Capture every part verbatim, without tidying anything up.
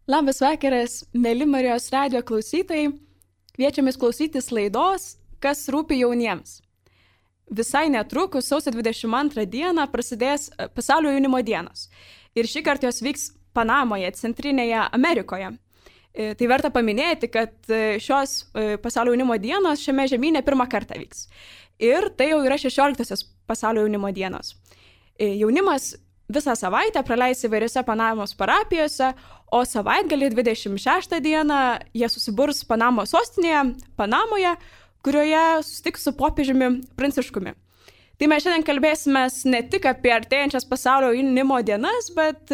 Labas vakaras, mėly Marijos radijo klausytojai. Kviečiamės klausytis laidos Kas rūpi jauniems. Visai netrukus, sausio dvidešimt antrą dieną, prasidės Pasaulio jaunimo dienos. Ir šį kartą jos vyks Panamoje, Centrinėje Amerikoje. Tai verta paminėti, kad šios Pasaulio jaunimo dienos šiame žemyne pirmą kartą vyks. Ir tai jau yra šešioliktosios Pasaulio jaunimo dienos. Jaunimas visą savaitę praleis įvairiose Panamos parapijose, o savaitgalį dvidešimt šeštą dieną jie susiburs Panamos sostinėje, Panamoje, kurioje susitiks su popiežiumi Pranciškumi. Tai mes šiandien kalbėsime ne tik apie artėjančias Pasaulio jaunimo dienas, bet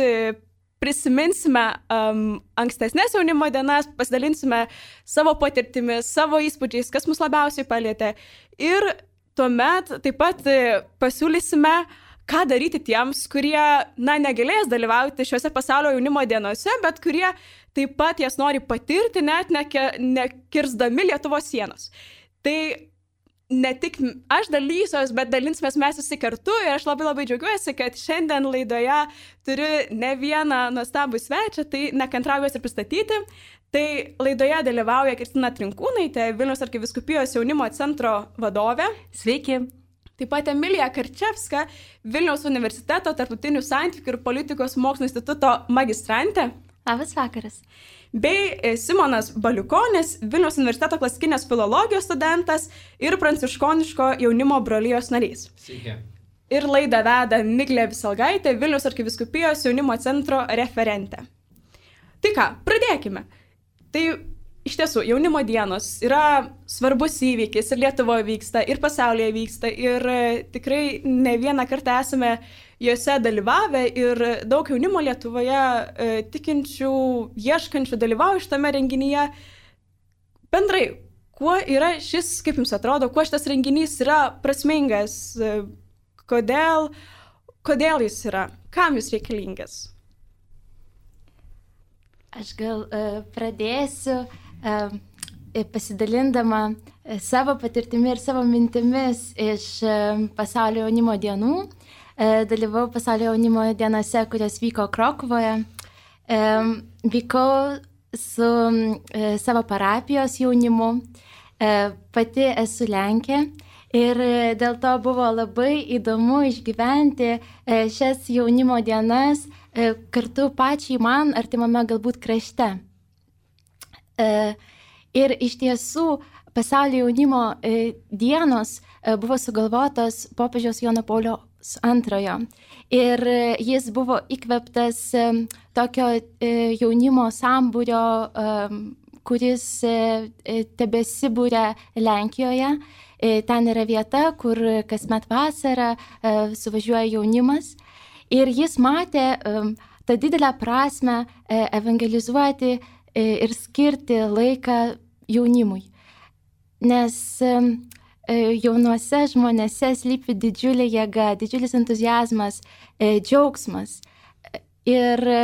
prisiminsime um, ankstesnės jaunimo dienas, pasidalinsime savo patirtimis, savo įspūdžiais, kas mus labiausiai palietė. Ir tuomet taip pat pasiūlysime, ką daryti tiems, kurie, na, negalės dalyvauti šiuose Pasaulio jaunimo dienose, bet kurie taip pat jas nori patirti, net nekirsdami Lietuvos sienos. Tai ne tik aš dalysiuos, bet dalinsimės mes visi kartu ir aš labai labai džiaugiuosi, kad šiandien laidoje turiu ne vieną nuostabų svečią, tai nekantrauju juos ir pristatyti. Tai laidoje dalyvauja Kristina Trinkūnaitė, Vilniaus arkivyskupijos jaunimo centro vadovė. Sveiki. Taip pat Emilija Karčevska, Vilniaus universiteto tarptautinių santykių ir politikos mokslo instituto magistrantė. Labas vakaras. Bei Simonas Baliukonis, Vilniaus universiteto klasikinės filologijos studentas ir pranciškoniško jaunimo brolijos narys. Sveiki. Ir laidą veda Miglė Visalgaitė, Vilniaus arkivyskupijos jaunimo centro referentė. Tai ką, pradėkime. Tai iš tiesų, jaunimo dienos yra svarbus įvykis ir Lietuvoje vyksta, ir pasaulyje vyksta, ir tikrai ne vieną kartą esame juose dalyvavę ir daug jaunimo Lietuvoje e, tikinčių, ieškančių dalyvauja šitame renginyje. Bendrai, kuo yra šis, kaip jums atrodo, kuo šitas renginys yra prasmingas, e, kodėl, kodėl jis yra, kam jis reikalingas? Aš gal uh, pradėsiu uh, pasidalindama uh, savo patirtimi ir savo mintimis iš uh, Pasaulio jaunimo dienų. Uh, dalyvau Pasaulio jaunimo dienose, kurios vyko Krokuvoje. Um, vykau su uh, savo parapijos jaunimu. Uh, pati esu Lenkė. Ir dėl to buvo labai įdomu išgyventi uh, šias jaunimo dienas kartu pačiai man artimame galbūt krašte. Ir iš tiesų Pasaulio jaunimo dienos buvo sugalvotos popiežiaus Jono Pauliaus antrojo. Ir jis buvo įkvėptas tokio jaunimo sambūrio, kuris tebesibūrė Lenkijoje. Ten yra vieta, kur kasmet vasarą suvažiuoja jaunimas. Ir jis matė um, tą didelę prasmę e, evangelizuoti e, ir skirti laiką jaunimui. Nes e, jaunuose žmonėse slypi didžiulė jėga, didžiulis entuziazmas, e, džiaugsmas. Ir e,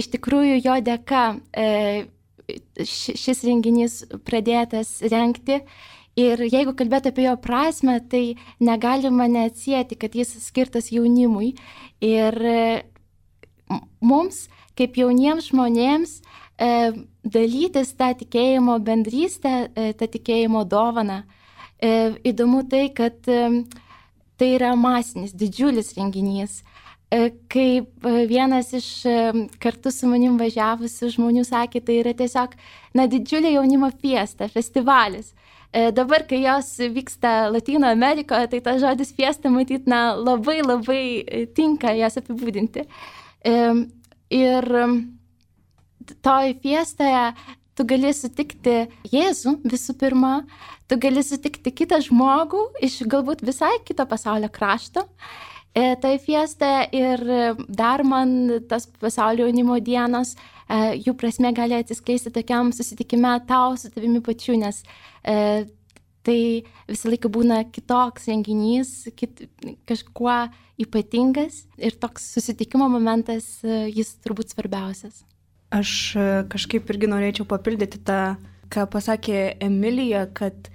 iš tikrųjų jo dėka e, šis renginys pradėtas rengti. Ir jeigu kalbėt apie jo prasmę, tai negalima neatsieti, kad jis skirtas jaunimui. Ir mums, kaip jauniems žmonėms, dalytis tą tikėjimo bendrystę, tą tikėjimo dovaną. Įdomu tai, kad tai yra masinis, didžiulis renginys. Kaip vienas iš kartu su manim važiavusių žmonių sakė, tai yra tiesiog na, didžiulė jaunimo fiesta, festivalis. Dabar, kai jos vyksta Latino Amerikoje, tai tas žodis fiesta, matyt, na, labai labai tinka jas apibūdinti. Ir toj fiestoje tu gali sutikti Jėzų visų pirma, tu gali sutikti kitą žmogų iš galbūt visai kito pasaulio krašto. Tai fiesta ir dar man tas Pasaulio jaunimo dienos, jų prasme gali atsiskleisti tokiam susitikime tau su tavimi pačiu, nes e, tai visą laiką būna kitoks renginys, kit, kažkuo ypatingas ir toks susitikimo momentas, jis turbūt svarbiausias. Aš kažkaip irgi norėčiau papildyti tą, ką pasakė Emilija, kad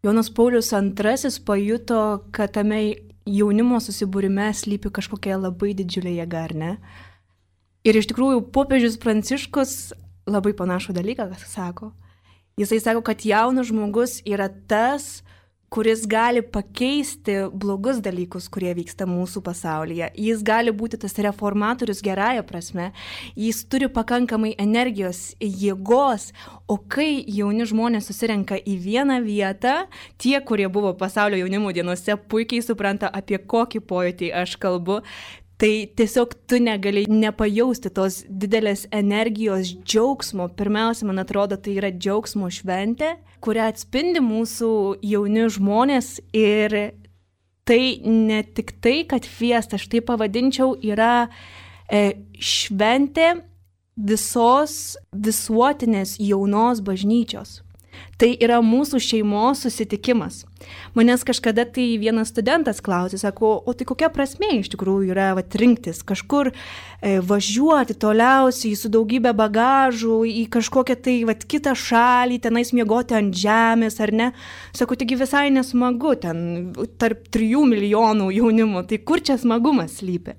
Jonas Paulius antrasis pajuto, kad tame jaunimo susibūrime slypi kažkokia labai didžiulė jėga, ar ne? Ir iš tikrųjų popiežius Pranciškus labai panašų dalyką sako. Jisai sako, kad jaunas žmogus yra tas, kuris gali pakeisti blogus dalykus, kurie vyksta mūsų pasaulyje. Jis gali būti tas reformatorius gerąja prasme. Jis turi pakankamai energijos, jėgos, o kai jauni žmonės susirenka į vieną vietą, tie, kurie buvo pasaulio jaunimo dienose, puikiai supranta, apie kokį pojūtį aš kalbu. Tai tiesiog tu negali nepajausti tos didelės energijos, džiaugsmo. Pirmiausia, man atrodo, tai yra džiaugsmo šventė, kurią atspindi mūsų jauni žmonės. Ir tai ne tik tai, kad fiesta, aš tai pavadinčiau, yra e, šventė visos visuotinės jaunos bažnyčios. Tai yra mūsų šeimos susitikimas. Manęs kažkada tai vienas studentas klausė, sako, o tai kokia prasmė iš tikrųjų yra vat, rinktis kažkur e, važiuoti toliausiai su daugybė bagažų į kažkokią tai vat, kitą šalį, tenais miegoti ant žemės, ar ne? Sako, taigi visai nesmagu ten tarp trijų milijonų jaunimo, tai kur čia smagumas slypi?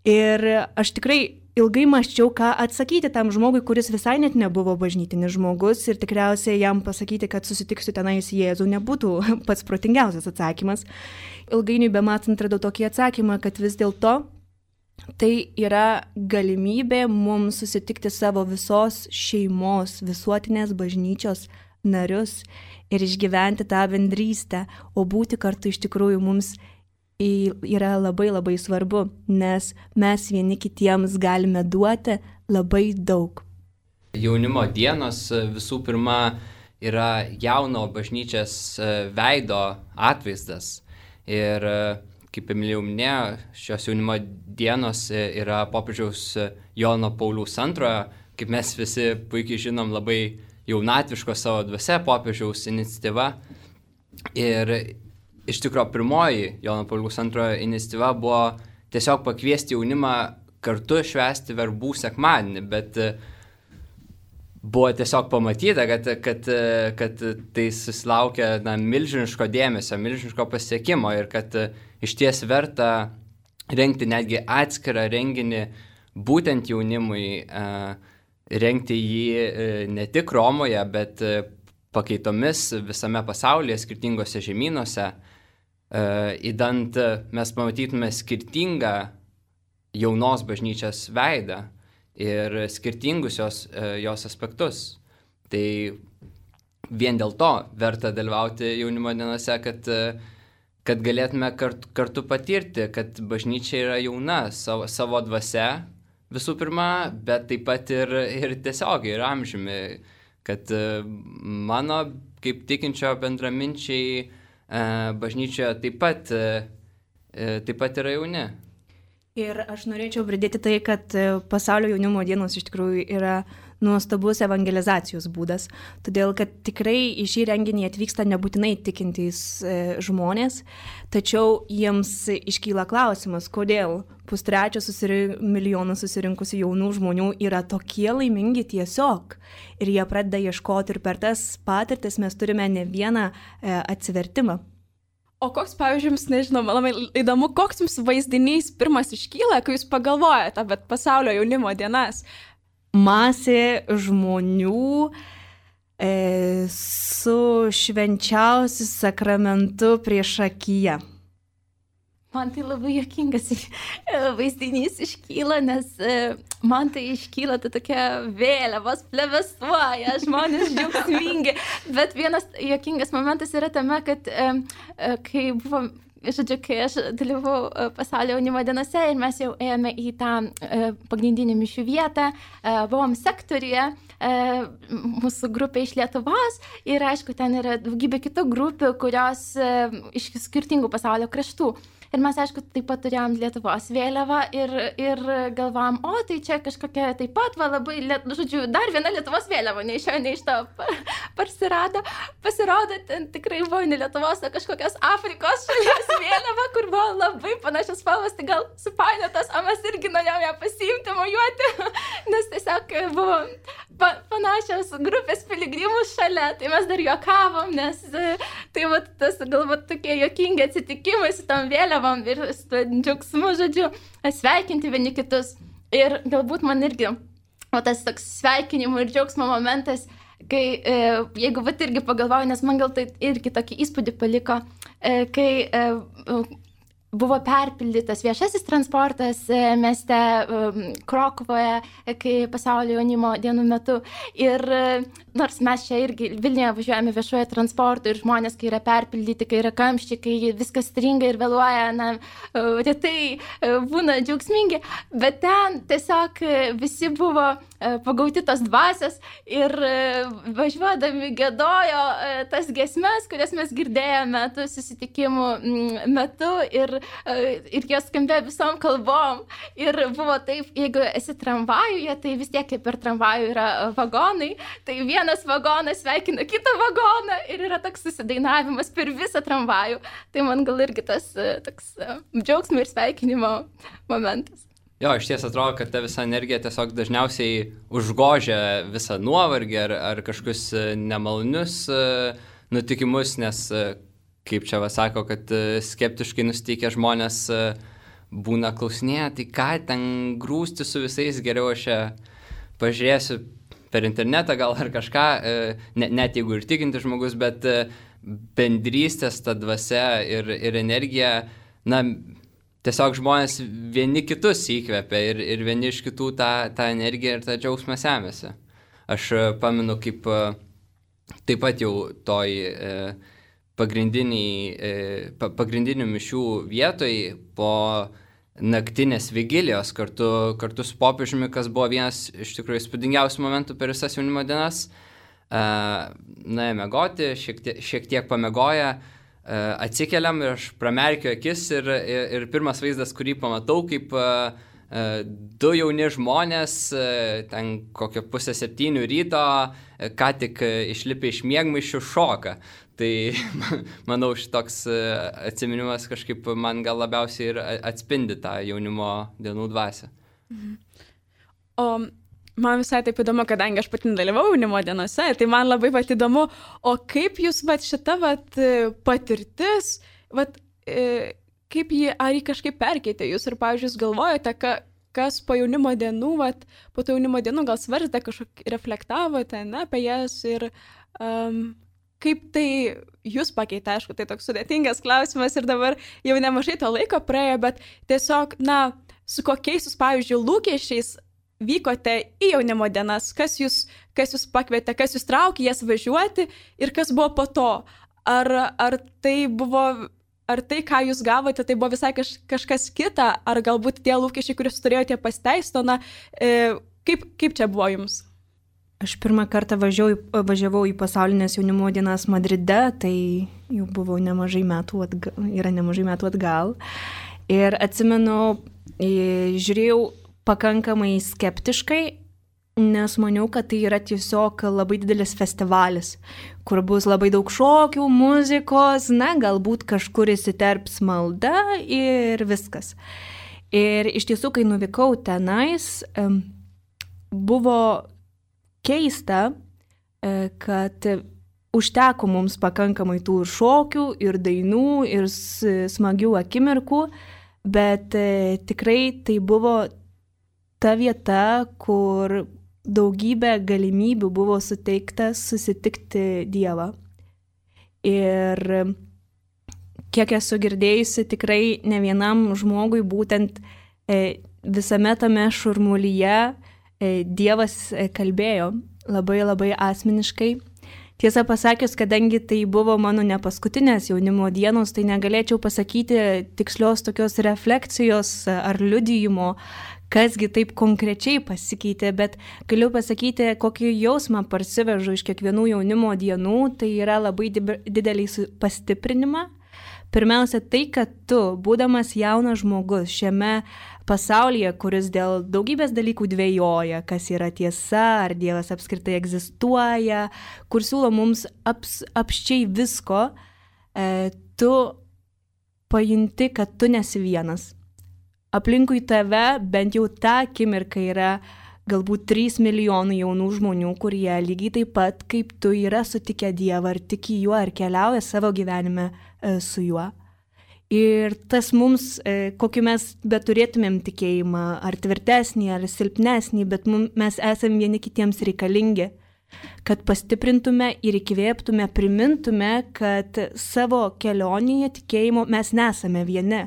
Ir aš tikrai ilgai mąsčiau, ką atsakyti tam žmogui, kuris visai net nebuvo bažnytinis žmogus ir tikriausiai jam pasakyti, kad susitiksiu tenais Jėzų, nebūtų pats protingiausias atsakymas. Ilgainiui bematant radau tokį atsakymą, kad vis dėlto tai yra galimybė mums susitikti savo visos šeimos, visuotinės bažnyčios narius ir išgyventi tą bendrystę, o būti kartu iš tikrųjų mums yra labai labai svarbu, nes mes vieni kitiems galime duoti labai daug. Jaunimo dienos visų pirma yra jauno bažnyčios veido atvaizdas. Ir kaip Emilija minėjo, šios jaunimo dienos yra popiežiaus Jono Pauliaus antrojo, kaip mes visi puikiai žinom, labai jaunatviško savo dvasia popiežiaus iniciatyva. Ir iš tikrųjų, pirmoji Jono Pauliaus antrojo iniciatyva buvo tiesiog pakviesti jaunimą kartu švęsti verbų sekmadienį, bet buvo tiesiog pamatyta, kad, kad, kad tai susilaukia na, milžiniško dėmesio, milžiniško pasiekimo ir kad iš ties verta rengti netgi atskirą renginį būtent jaunimui, rengti jį ne tik Romoje, bet pakaitomis visame pasaulyje, skirtingose žemynuose. Įdant mes pamatytume skirtingą jaunos bažnyčios veidą ir skirtingus jos, jos aspektus. Tai vien dėl to verta dalyvauti jaunimo dienose, kad, kad galėtume kartu, kartu patirti, kad bažnyčia yra jauna savo, savo dvasia visų pirma, bet taip pat ir, ir tiesiog ir amžiumi, kad mano kaip tikinčio bendraminčiai bažnyčioje taip pat, taip pat yra jauni. Ir aš norėčiau pridėti tai, kad pasaulio jaunimo dienos iš tikrųjų yra nuostabus evangelizacijos būdas, todėl kad tikrai į šį renginį atvyksta nebūtinai tikintys žmonės, tačiau jiems iškyla klausimas, kodėl pustrečio susirink, milijono susirinkusių jaunų žmonių yra tokie laimingi tiesiog. Ir jie pradeda ieškoti ir per tas patirtis mes turime ne vieną e, atsivertimą. O koks, pavyzdžiui, jums, nežinau, labai įdomu, koks jums vaizdinys pirmas iškyla, kai jūs pagalvojate apie pasaulio jaunimo dienas? Masė žmonių e, su švenčiausiu sakramentu priešakyje. Man tai labai juokingas vaizdinys iškyla, nes man tai iškyla tai tokia vėliavos plevėsuoja, žmonės džiaugsmingi. Bet vienas juokingas momentas yra tame, kad kai buvo, žodžiu, kai aš dalyvau pasaulio jaunimo dienose ir mes jau ėjome į tą pagrindinį mišių vietą, buvom sektoriuje, mūsų grupė iš Lietuvos ir aišku, ten yra daugybė kitų grupių, kurios iš skirtingų pasaulio kraštų. Ir mes, aišku, taip pat turėjom Lietuvos vėliavą ir, ir galvom, o tai čia kažkokia taip pat, va, labai, žodžiu, dar viena Lietuvos vėliava, nei iš jo, nei iš to parsirado. Pasirodo, ten tikrai buvo ne Lietuvos, o kažkokios Afrikos šalies vėliava, kur buvo labai panašios spalvos, tai gal supainiotos, o mes irgi norėjom ją pasiimti, mojuoti, nes tiesiog buvo pa, panašios grupės piligrimų šalia, tai mes dar juokavom, nes tai va, tas galbūt tokie juokingi atsitikimai su tom vėliavom ir su džiaugsmu, žodžiu, sveikinti vieni kitus. Ir galbūt man irgi, o tas toks sveikinimų ir džiaugsmo momentas, kai, e, jeigu vat irgi pagalvoju, nes man gal tai irgi tokį įspūdį paliko, e, kai e, buvo perpildytas viešasis transportas e, mieste e, Krokuvoje, e, kai pasaulio jaunimo dienų metu. Ir e, nors mes čia irgi Vilniuje važiuojame viešoje transportu ir žmonės, kai yra perpildyti, kai yra kamščiai, kai viskas stringa ir vėluoja, na, e, retai e, būna džiaugsmingi, bet ten tiesiog e, visi buvo e, pagauti tos dvasios ir e, važiuodami gėdojo e, tas giesmes, kurias mes girdėjome tų susitikimų m, metu ir ir jos skambėjo visom kalbom. Ir buvo taip, jeigu esi tramvajuje, tai vis tiek kaip per tramvajų yra vagonai, tai vienas vagonas sveikina kitą vagoną ir yra toks susidainavimas per visą tramvajų. Tai man gal irgi tas toks džiaugsmo ir sveikinimo momentas. Jo, iš ties atrodo, kad ta visa energija tiesiog dažniausiai užgožia visą nuovargį ar, ar kažkokius nemalonius nutikimus, nes kaip čia va sako, kad skeptiškai nusiteikę žmonės būna klausinėję, tai ką ten grūsti su visais, geriau aš čia pažiūrėsiu per internetą gal ar kažką, ne, net jeigu ir tikinti žmogus, bet bendrystės ta dvasia ir, ir energija, na, tiesiog žmonės vieni kitus įkvepia ir, ir vieni iš kitų tą, tą energiją ir tą džiaugsmą semėsi. Aš pamenu, kaip taip pat jau toj pagrindinių mišių vietoj po naktinės vigilijos kartu, kartu su popiežiumi, kas buvo vienas iš tikrųjų įspūdingiausių momentų per visas jaunimo dienas. Nuėjome miegoti, šiek tiek, šiek tiek pamiegoję, atsikeliam ir aš pramerkiu akis ir, ir, ir pirmas vaizdas, kurį pamatau, kaip du jauni žmonės, ten kokio pusę septynių ryto, ką tik išlipę iš miegmaišių šoka. Tai, manau, šitoks atsiminimas kažkaip man gal labiausiai ir atspindi tą jaunimo dienų dvasią. Mhm. O man visai taip įdomu, kadangi aš pati dalyvau jaunimo dienose, tai man labai pat įdomu, o kaip jūs vat, šita vat, patirtis, vat, kaip jį, ar jį kažkaip perkeitė jūs ir, pavyzdžiui, jūs galvojate, ka, kas po jaunimo dienų, vat, po to jaunimo dienų gal svarstė, kažkok reflektavote ne, apie jas ir um, kaip tai jūs pakeitė, aišku, tai toks sudėtingas klausimas ir dabar jau nemažai to laiko praėjo, bet tiesiog, na, su kokiais jūs, pavyzdžiui, lūkesčiais vykote į jaunimo dienas, kas jūs, kas jūs pakvietė, kas jūs traukė jas važiuoti ir kas buvo po to. Ar, ar tai buvo, ar tai, ką jūs gavote, tai buvo visai kaž, kažkas kita, ar galbūt tie lūkesčiai, kuriuos turėjote pasiteisto, na, e, kaip, kaip čia buvo jums? Aš pirmą kartą važiavau, važiavau į pasaulinės jaunimo dienas Madride, tai jau buvo nemažai metų atgal, yra nemažai metų atgal. Ir atsimenu, žiūrėjau pakankamai skeptiškai, nes maniau, kad tai yra tiesiog labai didelis festivalis, kur bus labai daug šokių, muzikos, na, galbūt kažkur įsiterps malda ir viskas. Ir iš tiesų, kai nuvykau tenais, buvo keista, kad užteko mums pakankamai tų ir šokių, ir dainų, ir smagių akimirkų, bet tikrai tai buvo ta vieta, kur daugybė galimybių buvo suteikta susitikti Dievą. Ir kiek esu girdėjusi, tikrai ne vienam žmogui būtent visame tame šurmulyje Dievas kalbėjo labai labai asmeniškai. Tiesą pasakius, kadangi tai buvo mano ne paskutinės jaunimo dienos, tai negalėčiau pasakyti tikslios tokios refleksijos ar liudijimo, kasgi taip konkrečiai pasikeitė, bet galiu pasakyti, kokį jausmą parsivežu iš kiekvienų jaunimo dienų, tai yra labai didelį pastiprinimą. Pirmiausia, tai, kad tu, būdamas jaunas žmogus šiame pasaulyje, kuris dėl daugybės dalykų dvejoja, kas yra tiesa, ar Dievas apskritai egzistuoja, kur siūlo mums aps, apščiai visko, e, tu pajunti, kad tu nesi vienas. Aplinkui tave bent jau tą akimirką yra galbūt trys milijonai jaunų žmonių, kurie lygiai taip pat kaip tu yra sutikę Dievą, ar tiki juo, ar keliauja savo gyvenime e, su juo. Ir tas mums, kokį mes beturėtumėm tikėjimą, ar tvirtesnį, ar silpnesnį, bet mes esame vieni kitiems reikalingi, kad pastiprintume ir įkvėptume, primintume, kad savo kelionėje tikėjimo mes nesame vieni.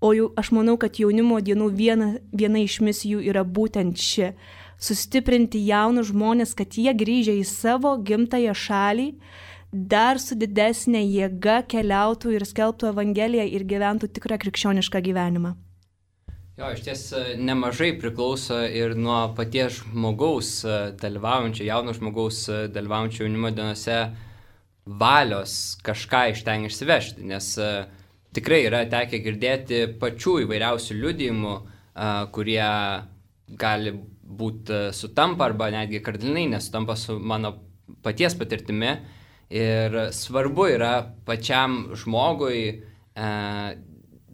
O jau, aš manau, kad jaunimo dienų viena, viena iš misijų yra būtent ši - sustiprinti jaunus žmonės, kad jie grįžę į savo gimtąją šalį dar su didesnė jėga keliautų ir skelbtų Evangeliją ir gyventų tikrą krikščionišką gyvenimą. Jo, iš ties nemažai priklauso ir nuo paties žmogaus dalyvaujančio, jauno žmogaus dalyvaujančio jaunimo dienose valios kažką iš ten išsivežti, nes tikrai yra tekę girdėti pačių įvairiausių liudijimų, kurie gali būti sutampa arba netgi kardinaliai nesutampa su mano paties patirtimi. Ir svarbu yra pačiam žmogui e,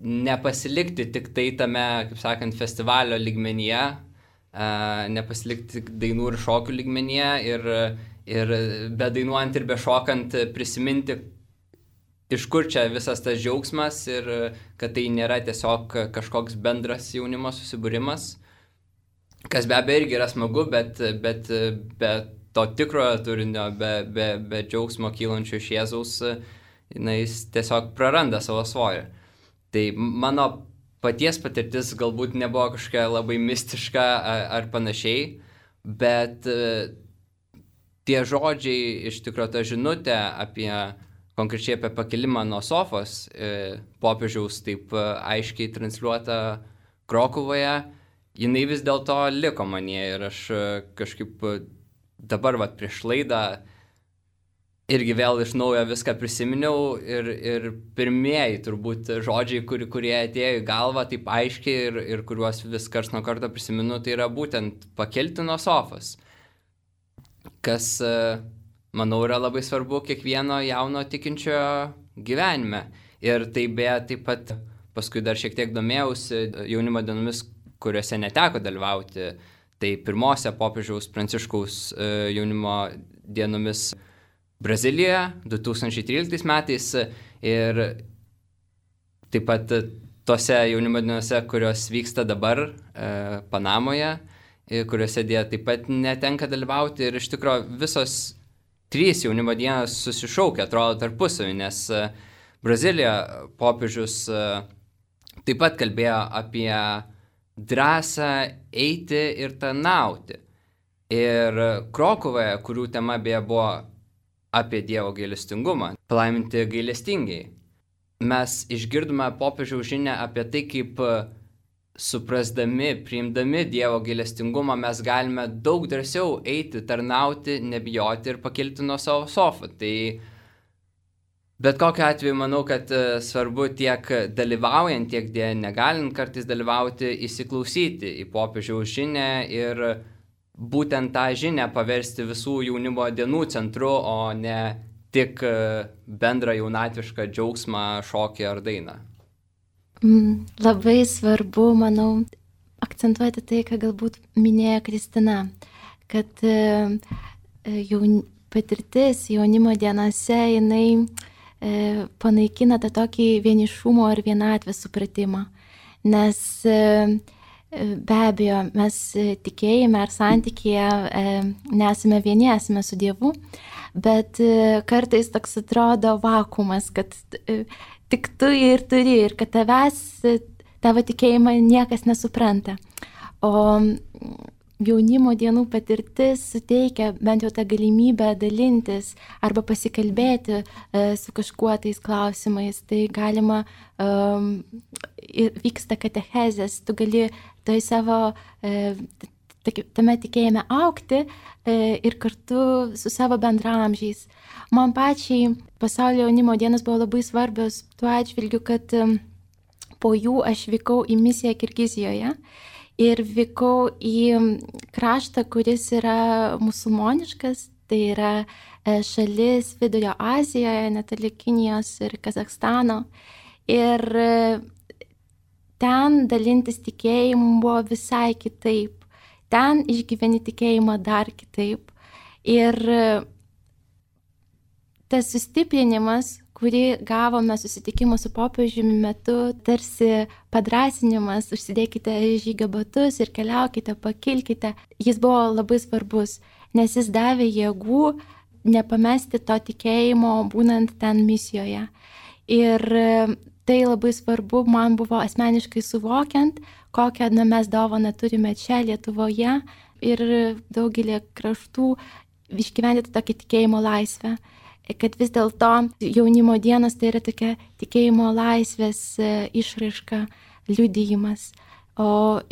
nepasilikti tik tai tame, kaip sakant, festivalio lygmenyje, e, nepasilikti tik dainų ir šokių lygmenyje ir, ir be dainuojant ir be šokant prisiminti, iš kur čia visas tas džiaugsmas ir kad tai nėra tiesiog kažkoks bendras jaunimo susibūrimas, kas be abejo irgi yra smagu, bet, bet, bet to tikrojo turinio, be, be, be džiaugsmo kylančio iš Jėzaus, jis tiesiog praranda savo svorį. Tai mano paties patirtis galbūt nebuvo kažkokia labai mistiška ar, ar panašiai, bet tie žodžiai, iš tikrųjų ta žinutė apie, konkrečiai apie pakilimą nuo sofos, popiežiaus taip aiškiai transliuota Krokuvoje, jinai vis dėlto liko manyje ir aš kažkaip dabar vat, prieš laidą irgi vėl iš naujo viską prisiminiau ir, ir pirmieji turbūt žodžiai, kur, kurie atėjo į galvą taip aiškiai ir, ir kuriuos vis karts nuo karto prisiminu, tai yra būtent pakelti nuo sofos, kas, manau, yra labai svarbu kiekvieno jauno tikinčiojo gyvenime. Ir tai beje taip pat paskui dar šiek tiek domėjausi jaunimo dienomis, kuriuose neteko dalyvauti. Tai pirmose popiežiaus Pranciškaus jaunimo dienomis Brazilijoje du tūkstančiai tryliktais metais ir taip pat tose jaunimo dienose, kurios vyksta dabar Panamoje, kuriuose dėja taip pat netenka dalyvauti. Ir iš tikrųjų visos trys jaunimo dienos susišaukia, atrodo, tarpusavį, nes Brazilijoje popiežius taip pat kalbėjo apie drąsą eiti ir tarnauti. Ir Krokuvoje, kurių tema beje buvo apie Dievo gailestingumą, palaiminti gailestingiai, mes išgirdome popiežiaus žinią apie tai, kaip suprasdami, priimdami Dievo gailestingumą, mes galime daug drąsiau eiti, tarnauti, nebijoti ir pakilti nuo savo sofų. Tai bet kokiu atveju manau, kad svarbu tiek dalyvaujant, tiek negalint kartais dalyvauti, įsiklausyti į popiežiaus žinią ir būtent tą žinią paversti visų jaunimo dienų centru, o ne tik bendrą jaunatvišką džiaugsmą, šokį ar dainą. Mm, labai svarbu, manau, akcentuoti tai, ką galbūt minėjo Kristina, kad jaun, patirtis jaunimo dienose, jinai panaikina tą tokį vienišumo ir vienatvės supratimą. Nes be abejo, mes tikėjime ar santykėje nesame vieni, esame su Dievu, bet kartais toks atrodo vakuumas, kad tik tu ir turi ir kad tavęs, tavo tikėjimą niekas nesupranta. O jaunimo dienų patirtis suteikia bent jau tą galimybę dalintis arba pasikalbėti e, su kažkuo tais klausimais. Tai galima, um, vyksta katechezės, tu gali toj savo, e, tame tikėjime augti e, ir kartu su savo bendramžiais. Man pačiai pasaulio jaunimo dienos buvo labai svarbios tuo atžvilgiu, kad e, po jų aš vykau į misiją Kirgizijoje. Ir vykau į kraštą, kuris yra musulmoniškas, tai yra šalis Vidurio Azijoje, netoli Kinijos ir Kazakstano. Ir ten dalintis tikėjimu buvo visai kitaip. Ten išgyveni tikėjimą dar kitaip. Ir tas sustiprinimas, kurį gavome susitikimo su popiežiumi metu, tarsi padrasinimas, užsidėkite žygio batus ir keliaukite, pakilkite. Jis buvo labai svarbus, nes jis davė jėgų nepamesti to tikėjimo būnant ten misijoje. Ir tai labai svarbu man buvo asmeniškai suvokiant, kokią na, mes dovaną turime čia Lietuvoje ir daugelį kraštų išgyventi tokį tikėjimo laisvę. Kad vis dėlto jaunimo dienos tai yra tokia tikėjimo laisvės išraiška, liudijimas. O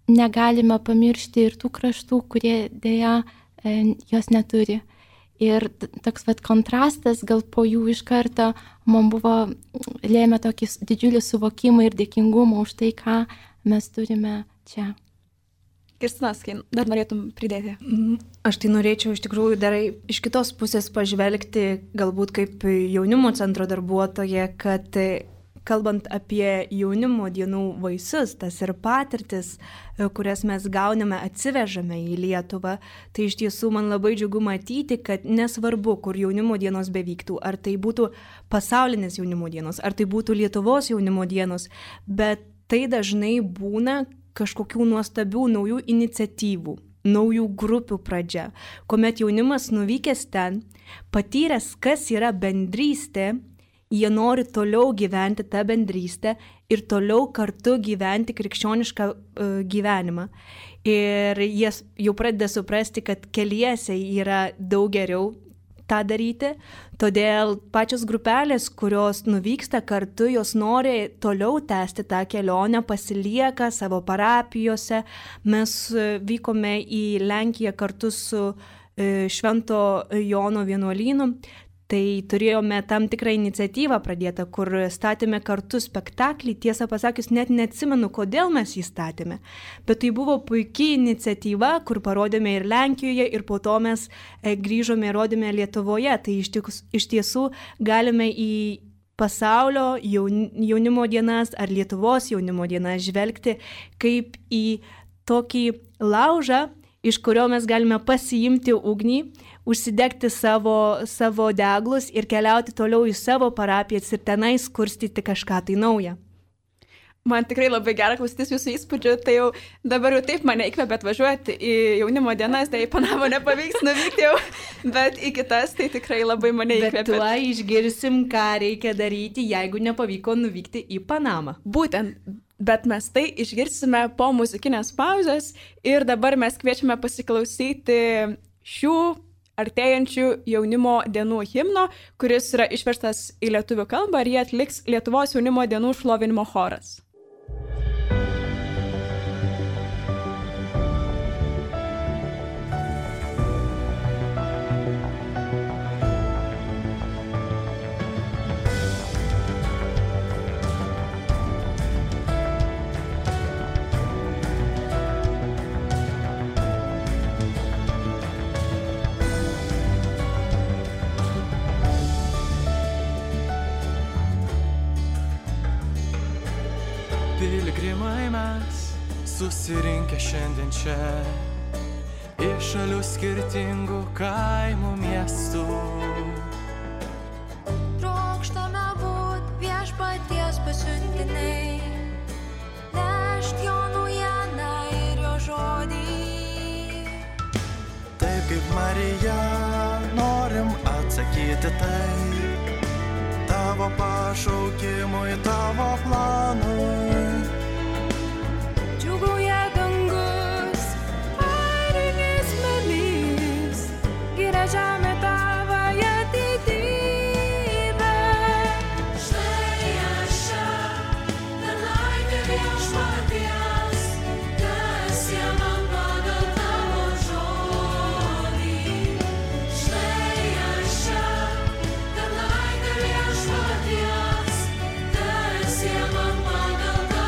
negalime pamiršti ir tų kraštų, kurie dėja jos neturi. Ir toks vat kontrastas gal po jų iš karto man buvo lėmė tokį didžiulį suvokimą ir dėkingumą už tai, ką mes turime čia. Kristinas, dar norėtum pridėti? Aš tai norėčiau iš tikrųjų dar iš kitos pusės pažvelgti, galbūt kaip jaunimo centro darbuotoja, kad kalbant apie jaunimo dienų vaisius, tas ir patirtis, kurias mes gauname, atsivežame į Lietuvą, tai iš tiesų man labai džiugu matyti, kad nesvarbu, kur jaunimo dienos bevyktų, ar tai būtų pasaulinės jaunimo dienos, ar tai būtų Lietuvos jaunimo dienos, bet tai dažnai būna kažkokių nuostabių naujų iniciatyvų, naujų grupių pradžia, kuomet jaunimas nuvykęs ten, patyręs, kas yra bendrystė, jie nori toliau gyventi tą bendrystę ir toliau kartu gyventi krikščionišką uh, gyvenimą. Ir jie jau pradeda suprasti, kad keliese yra daug geriau tą daryti, todėl pačios grupelės, kurios nuvyksta kartu, jos nori toliau tęsti tą kelionę, pasilieka savo parapijose. Mes vykome į Lenkiją kartu su Švento Jono vienuolynu. Tai turėjome tam tikrą iniciatyvą pradėtą, kur statėme kartu spektaklį, tiesą pasakius, net neatsimenu, kodėl mes jį statėme, bet tai buvo puikiai iniciatyva, kur parodėme ir Lenkijoje, ir po to mes grįžome ir rodėme Lietuvoje. Tai iš, tikus, iš tiesų galime į pasaulio jaunimo dienas ar Lietuvos jaunimo dienas žvelgti kaip į tokį laužą, iš kurio mes galime pasiimti ugnį, užsidegti savo, savo deglus ir keliauti toliau į savo parapijas ir tenais kurstyti kažką tai naują. Man tikrai labai gera klausytis jūsų įspūdžių, tai jau dabar jau taip mane įkvėpė atvažiuoti į jaunimo dienas, tai į Panamą nepavyks nuvykti jau, bet į kitas tai tikrai labai mane įkvėpė. Bet tuo išgirsim, ką reikia daryti, jeigu nepavyko nuvykti į Panamą. Būtent. Bet mes tai išgirsime po muzikinės pauzės ir dabar mes kviečiame pasiklausyti šių artėjančių jaunimo dienų himno, kuris yra išverstas į lietuvių kalbą ir jie atliks Lietuvos jaunimo dienų šlovinimo choras. Piligrimai mes susirinkę šiandien čia, iš šalių skirtingų kaimų miestų. Trokštame būt viešpaties pasiuntiniai, nešt jo naujieną ir jo žodį. Taip kaip Marija norim atsakyti tai, tavo pašaukimui, tavo planui. Džiugauja dangus, arinės melys, giria žemė tavąją didybę. Štai aš čia, tarnaitė viešpaties, kas jie man pagal tavo žodį. Štai aš čia, tarnaitė viešpaties, kas jie man pagal tavo žodį.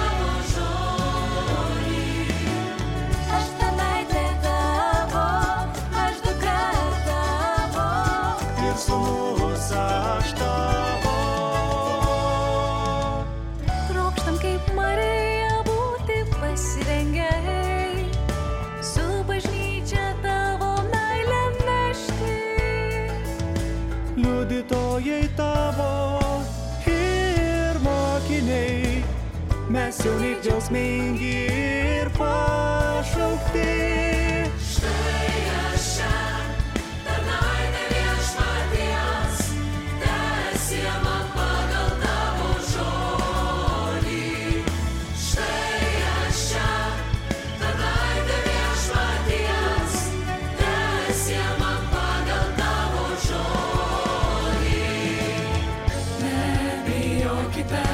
mes jauni džiaugsmingi ir pašaukti. Štai aš čia, tarnaitė viešpaties, teesie man pagal tavo žodį. Štai aš čia, tarnaitė viešpaties, teesie man pagal tavo žodį. Nebijokite,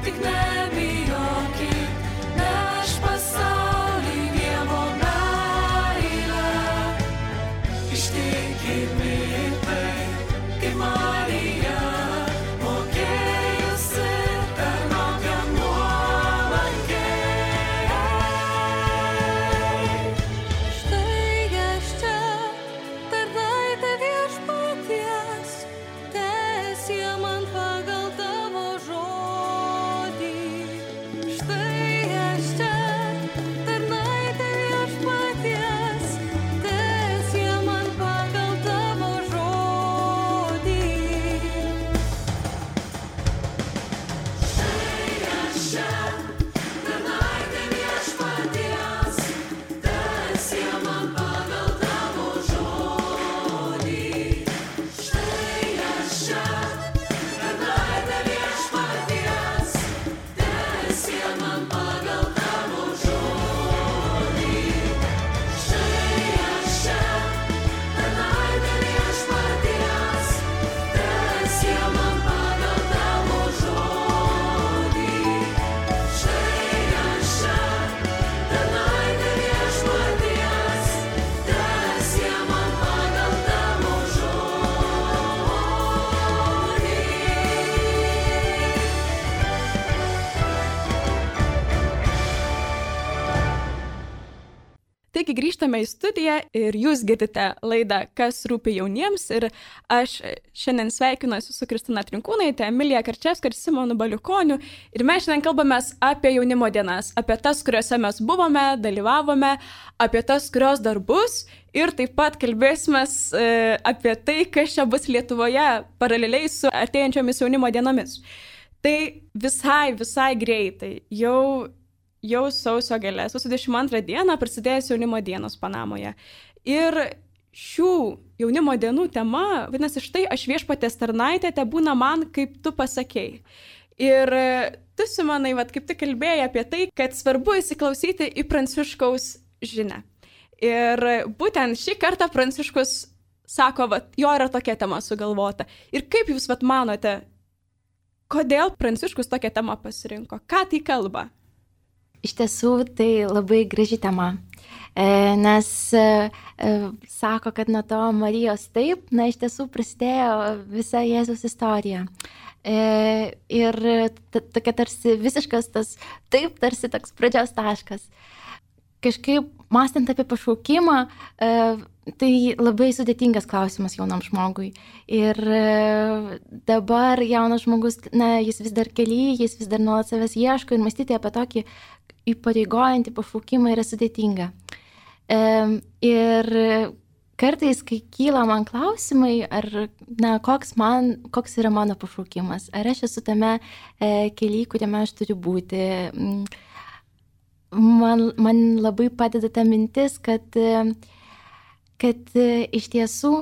tik nebijokit, neš pasaulį Dievo meilę. Ištikimi tai, kaip Marija, mokėjusi tarnauti nuolankiai. Štai aš čia, tarnaitė viešpaties, teesie man pagal tavo žodį. Štai aš čia, tarnaitė viešpaties, teesie man pagal tavo žodį. Štai aš čia, tarnaitė viešpaties, teesie man pagal tavo žodį. Štai aš čia, tarnaitė viešpaties, teesie man pagal tavo žodį. Štai aš čia, tarnaitė viešpaties, teesie man pagal tavo žodį. Štai aš čia, tarnaitė viešpaties, teesie man pagal tavo žodį. Taigi grįžtame į studiją ir jūs girdite laidą Kas rūpi jauniems ir aš šiandien sveikinuosi su Kristina Trinkūnaitė, Emilija Karčevska ir Simonu Baliukoniu ir mes šiandien kalbamės apie jaunimo dienas, apie tas, kuriuose mes buvome, dalyvavome, apie tas, kurios dar bus ir taip pat kalbėsime e, apie tai, kas čia bus Lietuvoje paraleliai su artėjančiomis jaunimo dienomis. Tai visai, visai greitai, jau Jau sausio gale, sausio dvidešimt antrą dieną prasidėjęs jaunimo dienos Panamoje. Ir šių jaunimo dienų tema, vadinasi, štai aš viešpaties tarnaitė, te būna man, kaip tu pasakei. Ir tu, Simonai, vat, kaip tu kalbėjai apie tai, kad svarbu įsiklausyti į Pranciškaus žinią. Ir būtent šį kartą Pranciškus sako, vat, jo yra tokia tema sugalvota. Ir kaip jūs vat, manote, kodėl Pranciškus tokią temą pasirinko? Ką tai kalba? Iš tiesų, tai labai graži tema, e, nes e, sako, kad nuo to Marijos taip, na, iš tiesų prasidėjo visa Jėzaus istorija. E, ir tokia tarsi visiškas tas taip, tarsi toks pradžios taškas. Kažkaip, mąstant apie pašaukimą, e, tai labai sudėtingas klausimas jaunam žmogui. Ir e, dabar jaunas žmogus, na, jis vis dar kely, jis vis dar nuolat savęs ieško ir mąstyti apie tokį įpareigojantį pašaukimą yra sudėtinga. E, ir kartais, kai kyla man klausimai, ar, na, koks, man, koks yra mano pašaukimas, ar aš esu tame e, kely, kuriame aš turiu būti, man, man labai padeda ta mintis, kad, kad iš tiesų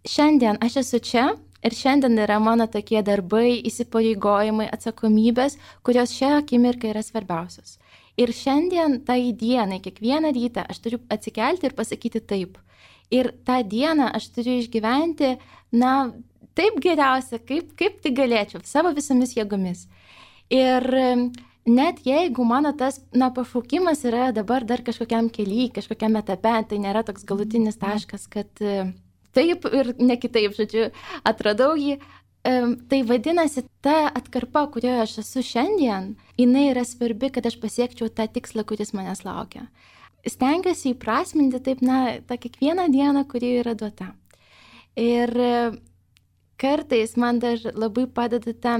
šiandien aš esu čia, ir šiandien yra mano tokie darbai, įsipareigojimai, atsakomybės, kurios šią akimirką yra svarbiausios. Ir šiandien, tai dienai, kiekvieną rytą aš turiu atsikelti ir pasakyti taip. Ir tą dieną aš turiu išgyventi, na, taip geriausia, kaip, kaip tai galėčiau, savo visomis jėgomis. Ir net jeigu mano tas, na, pašaukimas yra dabar dar kažkokiam kely, kažkokiam etape, tai nėra toks galutinis taškas, kad taip ir ne kitaip, žodžiu, atradau jį. Tai vadinasi, ta atkarpa, kurioje aš esu šiandien, jinai yra svarbi, kad aš pasiekčiau tą tikslą, kuris manęs laukia. Stengiuosi įprasminti taip, na, tą kiekvieną dieną, kuri yra duota. Ir kartais man dar labai padeda ta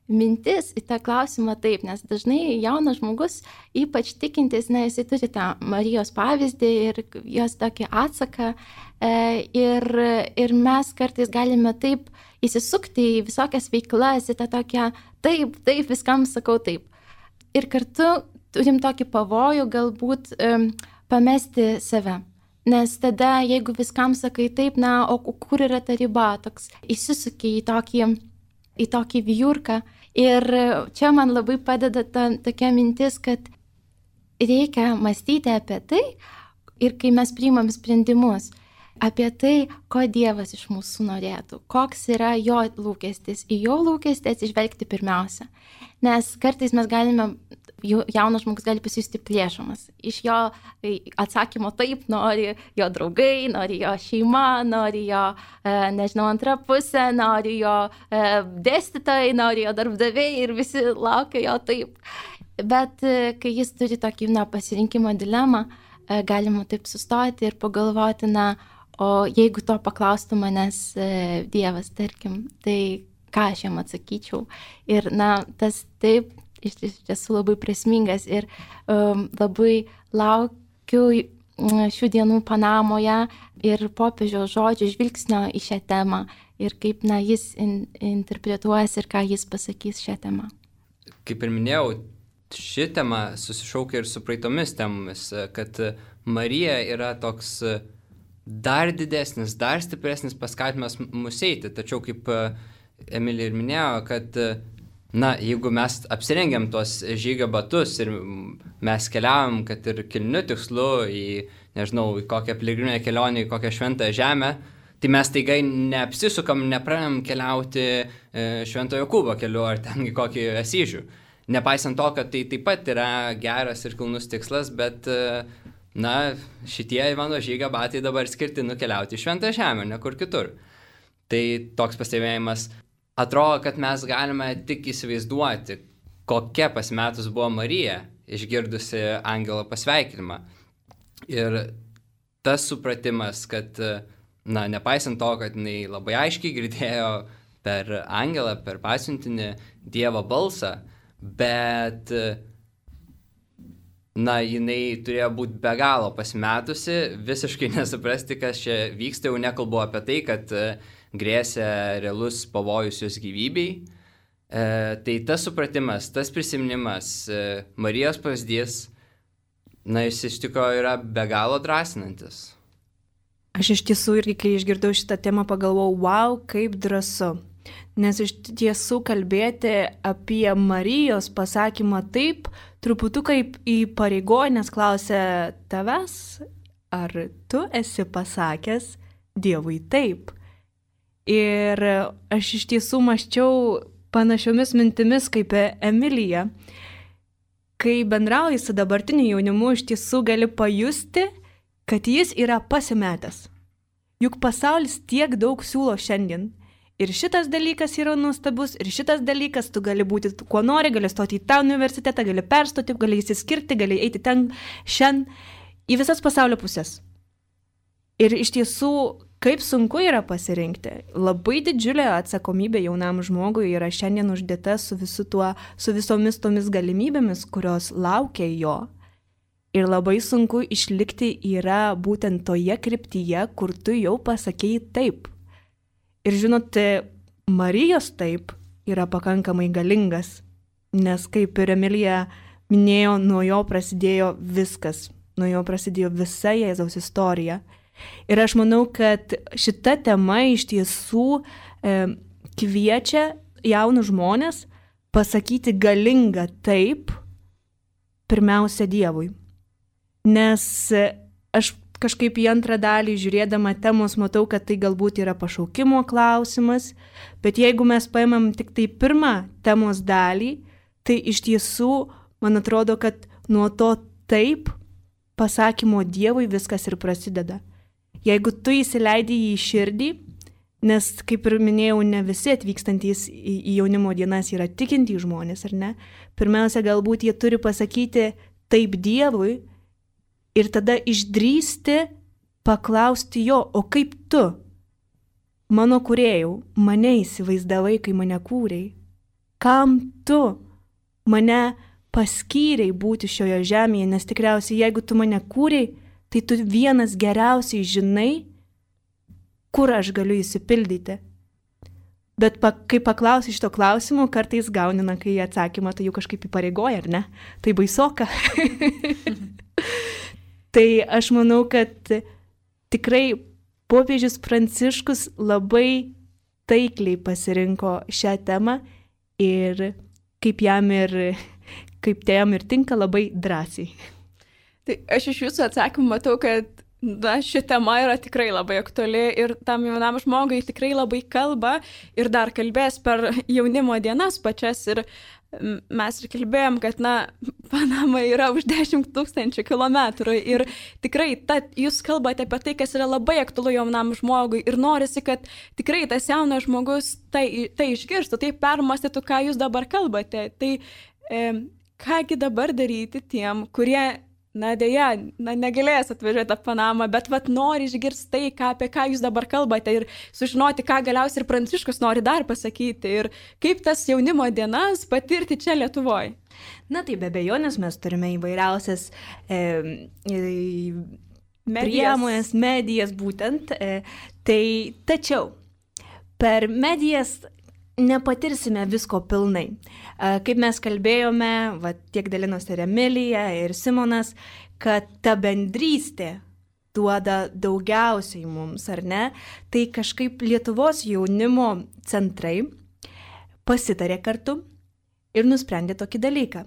mintis į tą klausimą taip, nes dažnai jaunas žmogus, ypač tikintis, na, jisai turi tą Marijos pavyzdį ir jos tokį atsaką. Ir, ir mes kartais galime taip įsisukti į visokias veiklas, į tą tokią taip, taip, viskam sakau taip. Ir kartu turim tokį pavojų galbūt um, pamesti save. Nes tada, jeigu viskam sakai taip, na, o kur yra ta riba, toks įsisuki į tokį, į tokį vijurką. Ir čia man labai padeda ta tokia mintis, kad reikia mąstyti apie tai ir kai mes priimam sprendimus, apie tai, ko Dievas iš mūsų norėtų, koks yra jo lūkestis, į jo lūkestį atsižvelgti pirmiausia. Nes kartais mes galime, jaunas žmogus gali pasijusti plėšomas. Iš jo atsakymo taip nori jo draugai, nori jo šeima, nori jo, nežinau, antra pusė, nori jo dėstytojai, nori jo darbdaviai ir visi laukia jo taip. Bet kai jis turi tokį, na, pasirinkimo dilemą, galima taip sustoti ir pagalvoti, na, o jeigu to paklaustų manęs Dievas, tarkim, tai ką aš jam atsakyčiau. Ir, na, tas taip iš tiesų labai prasmingas ir um, labai laukiu šių dienų Panamoje ir popiežiaus žodžių žvilgsnio į šią temą ir kaip, na, jis in, interpretuos ir ką jis pasakys šią temą. Kaip ir minėjau, ši tema susišaukia ir su praeitomis temomis, kad Marija yra toks dar didesnis, dar stipresnis paskatinimas mus eiti. Tačiau, kaip Emilija ir minėjo, kad, na, jeigu mes apsirengiam tuos žygio batus ir mes keliavam, kad ir kilniu tikslu į, nežinau, į kokią piligriminę kelionę, į kokią šventą žemę, tai mes taigai neapsisukam, nepradedam keliauti Švento Jokūbo keliu ar ten į kokį Asyžių. Nepaisant to, kad tai taip pat yra geras ir kilnus tikslas, bet, na, šitie mano žygio batai dabar skirti nukeliauti į Šventą žemę, ne kur kitur. Tai toks pastebėjimas. Atrodo, kad mes galime tik įsivaizduoti, kokia pasimetus buvo Marija, išgirdusi angelo pasveikinimą. Ir tas supratimas, kad, na, nepaisant to, kad jinai labai aiškiai girdėjo per angelą, per pasiuntinį Dievo balsą, bet, na, jinai turėjo būti be galo pasimetusi, visiškai nesuprasti, kas čia vyksta, jau nekalbu apie tai, kad grėsia realus pavojus jos gyvybei. E, tai tas supratimas, tas prisiminimas, e, Marijos pavyzdys, na, jis iš tikrųjų yra be galo drąsinantis. Aš iš tiesų irgi, kai išgirdau šitą temą, pagalvojau, wow, kaip drąsu. Nes iš tiesų kalbėti apie Marijos pasakymą taip, truputuką įpareigoja, nes klausia tavęs, ar tu esi pasakęs Dievui taip. Ir aš iš tiesų mąsčiau panašiomis mintimis kaip Emilija. Kai bendrauji su dabartiniu jaunimu, iš tiesų gali pajusti, kad jis yra pasimetęs. Juk pasaulis tiek daug siūlo šiandien. Ir šitas dalykas yra nuostabus, ir šitas dalykas, tu gali būti kuo nori, gali stoti į tą universitetą, gali perstoti, gali įsiskirti, gali eiti ten, šiandien, į visas pasaulio pusės. Ir iš tiesų, kaip sunku yra pasirinkti. Labai didžiulė atsakomybė jaunam žmogui yra šiandien uždėta su, visu tuo, su visomis tomis galimybėmis, kurios laukia jo. Ir labai sunku išlikti yra būtent toje kryptyje, kur tu jau pasakėjai taip. Ir žinote, Marijos taip yra pakankamai galingas, nes kaip ir Emilija minėjo, nuo jo prasidėjo viskas, nuo jo prasidėjo visa Jėzaus istorija. Ir aš manau, kad šita tema iš tiesų e, kviečia jaunus žmonės pasakyti galingą taip, pirmiausia Dievui. Nes e, aš kažkaip į antrą dalį žiūrėdama temos matau, kad tai galbūt yra pašaukimo klausimas, bet jeigu mes paimam tik tai pirmą temos dalį, tai iš tiesų man atrodo, kad nuo to taip pasakymo Dievui viskas ir prasideda. Jeigu tu įsileidi į širdį, nes, kaip ir minėjau, ne visi atvykstantys į, į jaunimo dienas yra tikintys žmonės, ar ne? Pirmiausia, galbūt jie turi pasakyti taip Dievui ir tada išdrįsti paklausti jo, o kaip tu, mano kūrėjau, mane įsivaizdavai, kai mane kūrei? Kam tu mane paskyrei būti šioje žemėje, nes tikriausiai, jeigu tu mane kūrei, tai tu vienas geriausiai žinai, kur aš galiu įsipildyti. Bet pa, kai paklausi šito klausimo, kartais gauni, na, kai atsakymą, tai jau kažkaip įpareigoja, ar ne? Tai baisoka. Tai aš manau, kad tikrai popiežius Pranciškus labai taikliai pasirinko šią temą ir kaip jam ir, kaip tai jam ir tinka, labai drąsiai. Tai aš iš jūsų atsakymų matau, kad na, ši tema yra tikrai labai aktuali ir tam jaunam žmogui tikrai labai kalba ir dar kalbės per jaunimo dienas pačias ir mes ir kalbėjom, kad, na, Panama yra už dešimt tūkstančių kilometrų ir tikrai ta, jūs kalbate apie tai, kas yra labai aktualu jaunam žmogui ir norisi, kad tikrai tas jaunas žmogus tai, tai išgirstų, tai permastytų, ką jūs dabar kalbate. Tai e, kągi dabar daryti tiem, kurie, na, dėja, na, negalės atvažiuoti į Panamą, bet vat nori išgirsti tai, ką, apie ką jūs dabar kalbate ir sužinoti, ką galiausiai ir Pranciškus nori dar pasakyti ir kaip tas jaunimo dienas patirti čia Lietuvoje. Na tai be abejonės mes turime įvairiausias e, e, priemonės, medijas būtent. E, tai tačiau per medijas nepatirsime visko pilnai. Kaip mes kalbėjome, va, tiek dalinosi ir Emilija, ir Simonas, kad ta bendrystė duoda daugiausiai mums, ar ne? Tai kažkaip Lietuvos jaunimo centrai pasitarė kartu ir nusprendė tokį dalyką.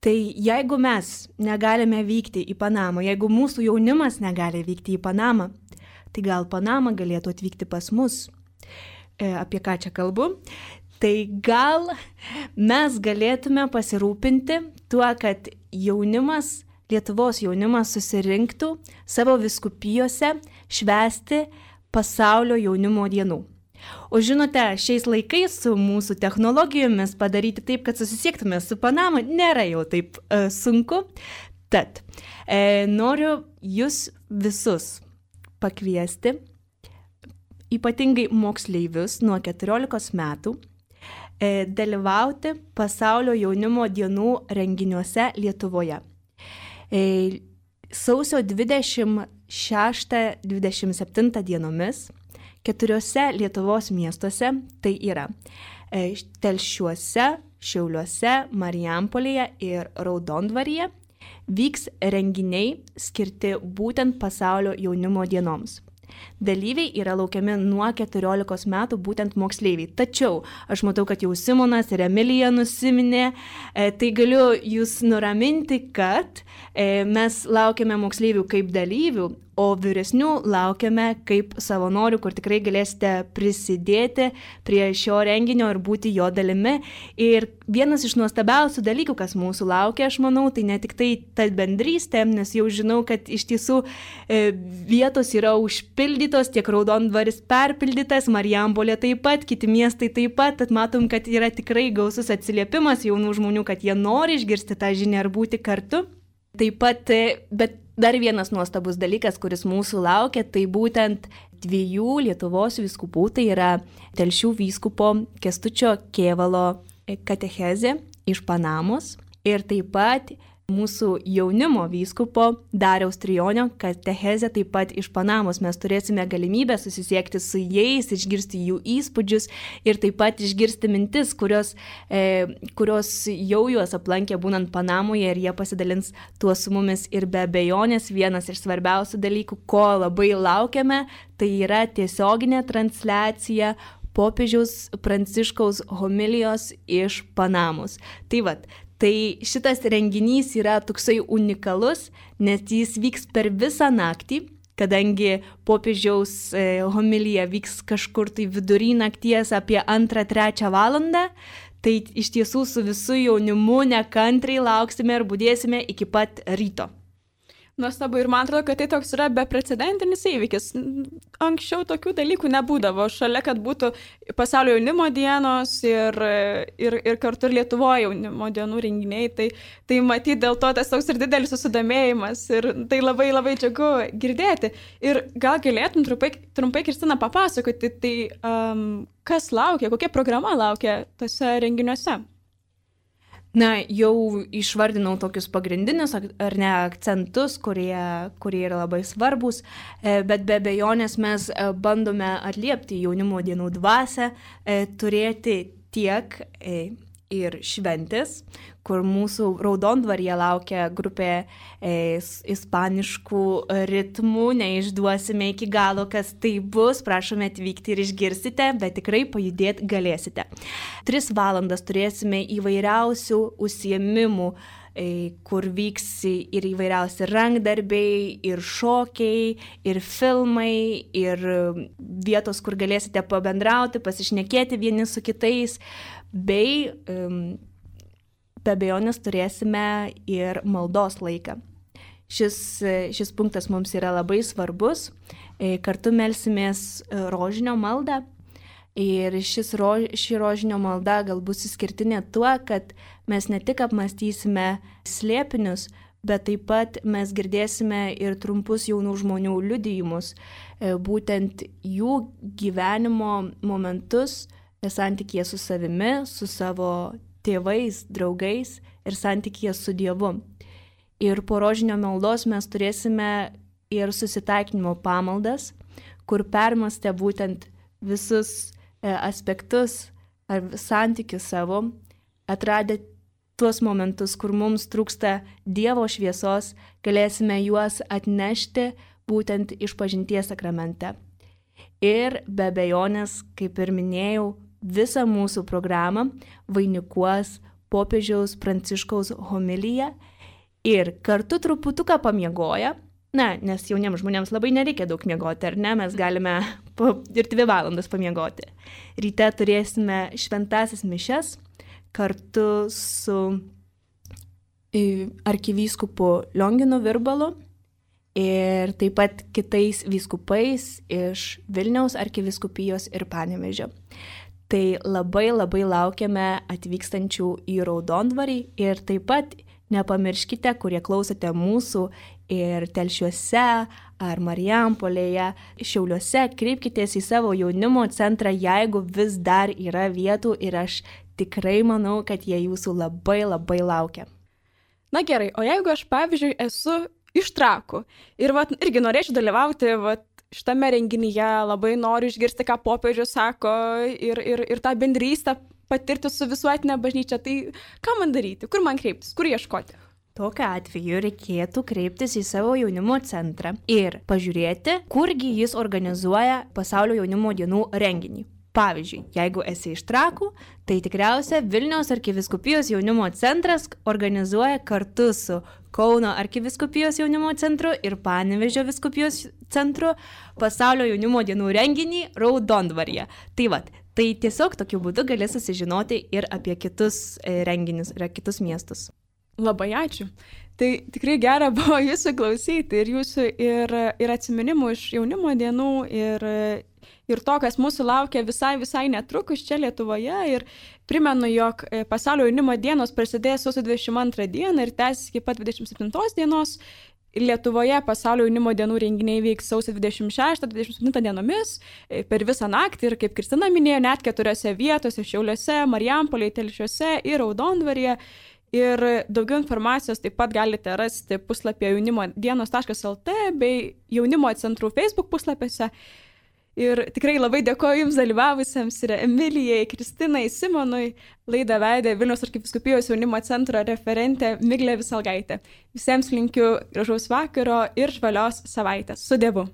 Tai jeigu mes negalime vykti į Panamą, jeigu mūsų jaunimas negali vykti į Panamą, tai gal Panama galėtų atvykti pas mus. Apie ką čia kalbu, tai gal mes galėtume pasirūpinti tuo, kad jaunimas, Lietuvos jaunimas susirinktų savo vyskupijose švęsti pasaulio jaunimo dienų. O žinote, šiais laikais su mūsų technologijomis padaryti taip, kad susisiektume su Panama, nėra jau taip e, sunku. Tad e, noriu jūs visus pakviesti, ypatingai moksleivius nuo keturiolikos metų, e, dalyvauti pasaulio jaunimo dienų renginiuose Lietuvoje. E, sausio dvidešimt šeštą dvidešimt septintą dienomis keturiose Lietuvos miestuose, tai yra e, Telšiuose, Šiauliuose, Marijampolėje ir Raudondvaryje, vyks renginiai skirti būtent pasaulio jaunimo dienoms. Dalyviai yra laukiami nuo keturiolikos metų, būtent moksleiviai. Tačiau aš matau, kad jau Simonas ir Emilija nusiminė, e, tai galiu jūs nuraminti, kad e, mes laukiame moksleivių kaip dalyvių, o vyresnių laukiame kaip savanorių, kur tikrai galėsite prisidėti prie šio renginio ir būti jo dalimi. Ir vienas iš nuostabiausių dalykų, kas mūsų laukia, aš manau, tai ne tik tai ta bendrystė, nes jau žinau, kad iš tiesų e, vietos yra užpildytos, tiek Raudondvaris perpildytas, Marijampolė taip pat, kiti miestai taip pat, tad matom, kad yra tikrai gausus atsiliepimas jaunų žmonių, kad jie nori išgirsti tą žinią ir būti kartu. Taip pat, bet dar vienas nuostabus dalykas, kuris mūsų laukia, tai būtent dviejų Lietuvos vyskupų, tai yra Telšių vyskupo Kęstučio Kėvalo katechezė iš Panamos ir taip pat mūsų jaunimo vyskupo Dariaus Trijonio katechezė taip pat iš Panamos. Mes turėsime galimybę susisiekti su jais, išgirsti jų įspūdžius ir taip pat išgirsti mintis, kurios, e, kurios jau juos aplankė būnant Panamoje ir jie pasidalins tuo su mumis. Ir be abejonės vienas iš svarbiausių dalykų, ko labai laukiame, tai yra tiesioginė transliacija popiežiaus Pranciškaus homilijos iš Panamos. Tai vat, tai šitas renginys yra toksai unikalus, nes jis vyks per visą naktį, kadangi popiežiaus homilija vyks kažkur tai vidury nakties apie antrą trečią valandą, tai iš tiesų su visu jaunimu nekantriai lauksime ir budėsime iki pat ryto. Nuostabu ir man atrodo, kad tai toks yra beprecedentinis įvykis. Anksčiau tokių dalykų nebūdavo. Šalia, kad būtų pasaulio jaunimo dienos ir, ir, ir kartu ir Lietuvoje jaunimo dienų renginiai, tai, tai matyti dėl to tas toks ir didelis susidomėjimas ir tai labai labai džiugu girdėti. Ir gal galėtum trumpai, trumpai Kristina, papasakoti, tai um, kas laukia, kokia programa laukia tose renginiuose? Na, jau išvardinau tokius pagrindinius ar ne akcentus, kurie, kurie yra labai svarbus, bet be abejonės mes bandome atliepti jaunimo dienų dvasią, turėti tiek ir šventės, kur mūsų Raudondvaryje laukia grupė e, ispaniškų ritmų, neišduosime iki galo, kas tai bus, prašome atvykti ir išgirsite, bet tikrai pajudėti galėsite. Tris valandas turėsime įvairiausių užsiėmimų, e, kur vyks ir įvairiausi rankdarbiai, ir šokiai, ir filmai, ir vietos, kur galėsite pabendrauti, pasišnekėti vieni su kitais, bei um, be abejonės turėsime ir maldos laiką. Šis, šis punktas mums yra labai svarbus. Kartu melsimės rožinio maldą ir šis rož, ši rožinio malda galbūt išskirtinė tuo, kad mes ne tik apmąstysime slėpinius, bet taip pat mes girdėsime ir trumpus jaunų žmonių liudijimus, būtent jų gyvenimo momentus, santykėje su savimi, su savo tėvais, draugais ir santykėje su Dievu. Ir po rožinio maldos mes turėsime ir susitaikinimo pamaldas, kur permastę būtent visus aspektus ar santykius savo, atradę tuos momentus, kur mums trūksta Dievo šviesos, galėsime juos atnešti būtent išpažinties sakramente. Ir be abejonės, kaip ir minėjau, visą mūsų programą vainikuos popiežiaus Pranciškaus homilija ir kartu truputuką pamiegoja, na, nes jauniems žmonėms labai nereikia daug miegoti, ar ne, mes galime po ir dvi valandas pamiegoti. Ryte turėsime šventasis mišias kartu su arkivyskupu Lionginu Virbalu ir taip pat kitais vyskupais iš Vilniaus arkivyskupijos ir Panevėžio. Tai labai labai laukiame atvykstančių į Raudondvarį ir taip pat nepamirškite, kurie klausote mūsų ir Telšiuose ar Marijampolėje, Šiauliuose, kreipkitės į savo jaunimo centrą, jeigu vis dar yra vietų ir aš tikrai manau, kad jie jūsų labai labai laukia. Na gerai, o jeigu aš, pavyzdžiui, esu iš Trakų ir vat, irgi norėčiau dalyvauti vat, šitame renginyje, labai noriu išgirsti, ką popiežius sako ir, ir, ir tą bendrystę patirti su visuotinė bažnyčia, tai ką man daryti, kur man kreiptis, kur ieškoti? Tokiu atveju reikėtų kreiptis į savo jaunimo centrą ir pažiūrėti, kurgi jis organizuoja Pasaulio jaunimo dienų renginį. Pavyzdžiui, jeigu esi iš Trakų, tai tikriausia Vilniaus arkivyskupijos jaunimo centras organizuoja kartu su Kauno arkivyskupijos jaunimo centru ir Panevėžio vyskupijos centru Pasaulio jaunimo dienų renginį Raudondvaryje. Tai vat, tai tiesiog tokiu būdu gali susižinoti ir apie kitus renginius ir kitus miestus. Labai ačiū. Tai tikrai gera buvo jūsų klausyti ir jūsų ir, ir atsiminimų iš jaunimo dienų ir, ir to, kas mūsų laukia visai, visai netrukus čia Lietuvoje. Ir primenu, jog Pasaulio jaunimo dienos prasidės sausio dvidešimt antrą dieną ir tęsis iki pat dvidešimt septintos dienos. Lietuvoje Pasaulio jaunimo dienų renginiai vyks sausio dvidešimt šeštą dvidešimt septintą dienomis per visą naktį ir, kaip Kristina minėjo, net keturiose vietose - Šiauliuose, Marijampolėje, Telšiuose ir Raudondvaryje. Ir daugiau informacijos taip pat galite rasti puslapyje jaunimo dienos taškas el tė bei jaunimo centrų Facebook puslapiuose. Ir tikrai labai dėkoju Jums dalyvavusiems ir Emilijai, Kristinai, Simonui. Laidą vedė Vilniaus arkivyskupijos jaunimo centro referentė Miglė Visalgaitė. Visiems linkiu gražaus vakaro ir žvalios savaitės. Su Dievu.